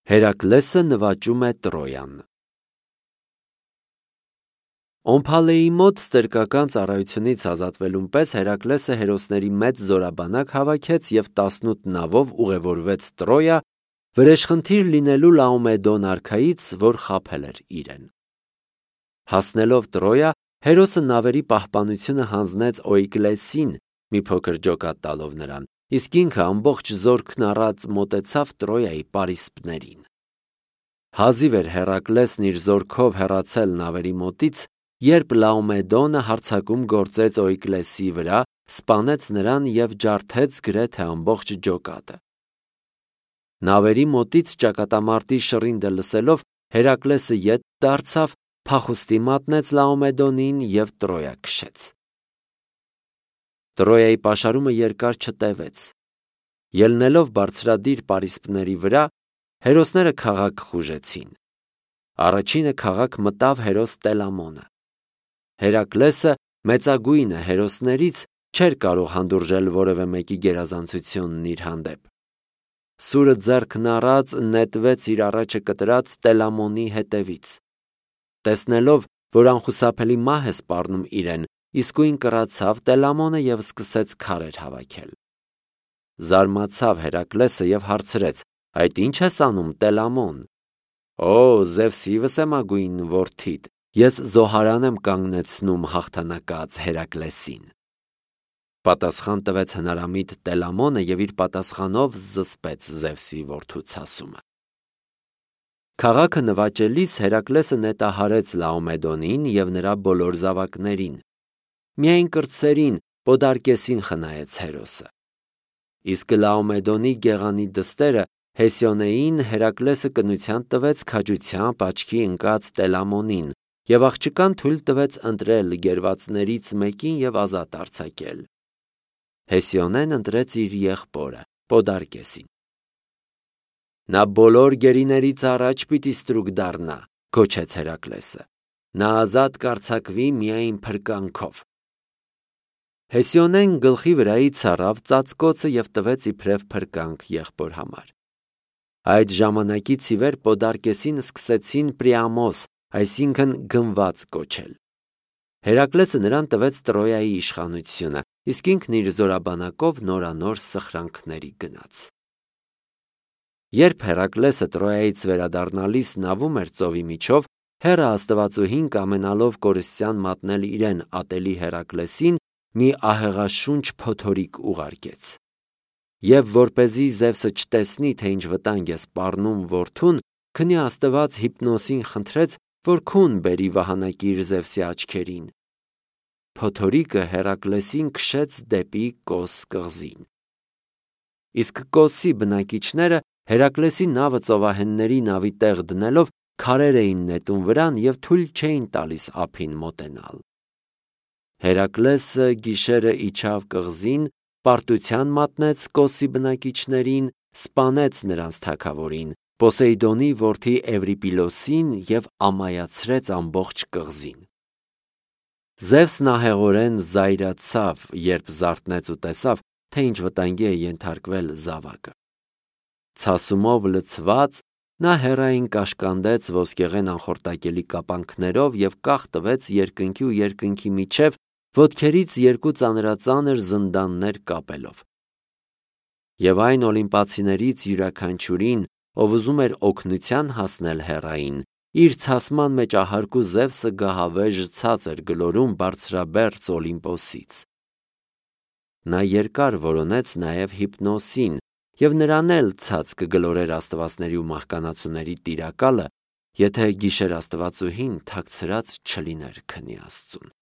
Հերակլեսը նվաճում է Տրոյան։ Օմփալեի մոտ ստրկական ծառայությունից ազատվելուն պես Հերակլեսը հերոսների մեծ զորաբանակ հավաքեց և 18 նավով ուղևորվեց Տրոյա, վրեժխնդիր լինելու Լաոմեդոն արքայից, որ խաբել էր իրեն։ Հասնելով Տրոյա, հերոսը նավերի պահպանությունը հանձնեց Օյկլեսին, մի փոքր ջոկատ տալով նրան, իսկ ինքը ամբողջ զորքն առած մոտեցավ Տրոյայի պարիսպներին։ Հազիվ էր Հերակլեսն իր զորքով հեռացել նավերի մոտից, երբ Լաոմեդոնը հարձակում գործեց Օյկլեսի վրա, սպանեց նրան և ջարդեց գրեթե ամբողջ ջոկատը։ Նավերի մոտից ճակատամարտի շռինդը լսելով, Հերակլեսը ետ դարձավ, փախուստի մատնեց Լաոմեդոնին և Տրոյա քշեց։ Տրոյայի պաշարումը երկար չտևեց։ Ելնելով բարձրադիր պարիսպների վրա, հերոսները քաղաք խուժեցին։ Առաջինը քաղաք մտավ հերոս Տելամոնը։ Հերակլեսը, մեծագույնը հերոսներից, չէր կարող հանդուրժել որևէ մեկի գերազանցությունն իր հանդեպ։ Սուրը ձեռքն առած նետվեց իր առաջը կտրած Տելամոնի հետևից։ Տեսնելով, որ անխուսափելի մահ է սպառնում իրեն, իսկույն կռացավ Տելամոնը և սկսեց քարեր հավաքել։ Զարմացավ Հերակլեսը և հարցրեց. «Այդ ի՞նչ ես անում, Տելամոն»։ «Օ, Զևսի վսեմագույն որդիդ, ես զոհարան եմ կանգնեցնում հաղթանակած Հերակլեսին»։ Պատասխան տվեց հնարամիտ Տելամոնը և իր պատասխանով զսպեց Զևսի որդու ցասումը։ Քաղաքը նվաճելիս Հերակլեսը նետահարեց Լաոմեդոնին և նրա բոլոր զավակներին։ Միայն կրտսերին, Պոդարկեսին խնայեց հերոսը։ Իսկ Լաոմեդոնի գեղանի դստերը Հեսիոնեին Հերակլեսը կնության տվեց քաջությամբ աչքի ընկած Տելամոնին և աղջկան թույլ տվեց ընտրել գերվածներից մեկին և ազատ արձակել։ Հեսիոնեն ընտրեց իր եղբորը Պոդարկեսին։ «Նա բոլոր գերիներից առաջ պիտի ստրուկ դառնա», գոչեց Հերակլեսը։ «Նա ազատ կարձակվի միայն փրկանքով»։ Հեսիոնեն գլխի վրայից առավ ծածկոցը և տվեց իբրև փրկանք եղբոր համար։ Այդ ժամանակից ի վեր Պոդարկեսին սկսեցին Պրիամոս, այսինքն գնված կոչել։ Հերակլեսը նրան տվեց Տրոյայի իշխանությունը, իսկ ինքն իր զորաբանակով նորանոր սխրանքների գնաց։ Երբ Հերակլեսը Տրոյայից վերադառնալիս նավում էր ծովի միջով, Հեռը աստվածուհին կամենալով կորստյան մատնել իրեն ատելի Հերակլեսին, մի ահեղաշունչ փոթորիկ ուղարկեց։ Եվ որպեսզի Զևսը չտեսնի, թե ինչ վտանգ է սպառնում որդուն, քնի աստված Հիպնոսին խնդրեց, որ քուն բերի վահանակիր Զևսի աչքերին։ Փոթորիկը Հերակլեսին քշեց դեպի Կոս կղզին։ Իսկ Կոսի բնակիչները Հերակլեսի նավը ծովահենների նավի տեղ դնելով քարեր էին նետում վրան և թույլ չէին տալիս ափին մոտենալ։ Հերակլեսը գիշերը իջավ կղզին, պարտության մատնեց Կոսի բնակիչներին, սպանեց նրանց թագավորին, Պոսեյդոնի որդի Էվրիպիլոսին և ամայացրեց ամբողջ կղզին։ Զևսն ահեղորեն զայրացավ, երբ զարթնեց ու տեսավ, թե ինչ վտանգի է ենթարկվել զավակը։ Ցասումով լցված, նա հեռային կաշկանդեց ոսկեղեն անխորտակելի կապանքներով և կախ տվեց երկնքի ու երկնքի միջև, ոտքերից երկու ծանրածանր զնդաններ կապելով։ Եվ այն օլիմպացիներից յուրաքանչյուրին, ով ուզում էր օգնության հասնել Հեռային, իր ցասման մեջ ահարկու Զևսը գահավեժ ցած էր գլորում բարձրաբերձ Օլիմպոսից։ Նա երկար որոնեց նաև Հիպնոսին, և նրան էլ ցած կգլորեր աստվածների ու մահկանացուների տիրակալը, եթե գիշերաստվածուհին թաքցրած չլիներ քնի Աստծուն։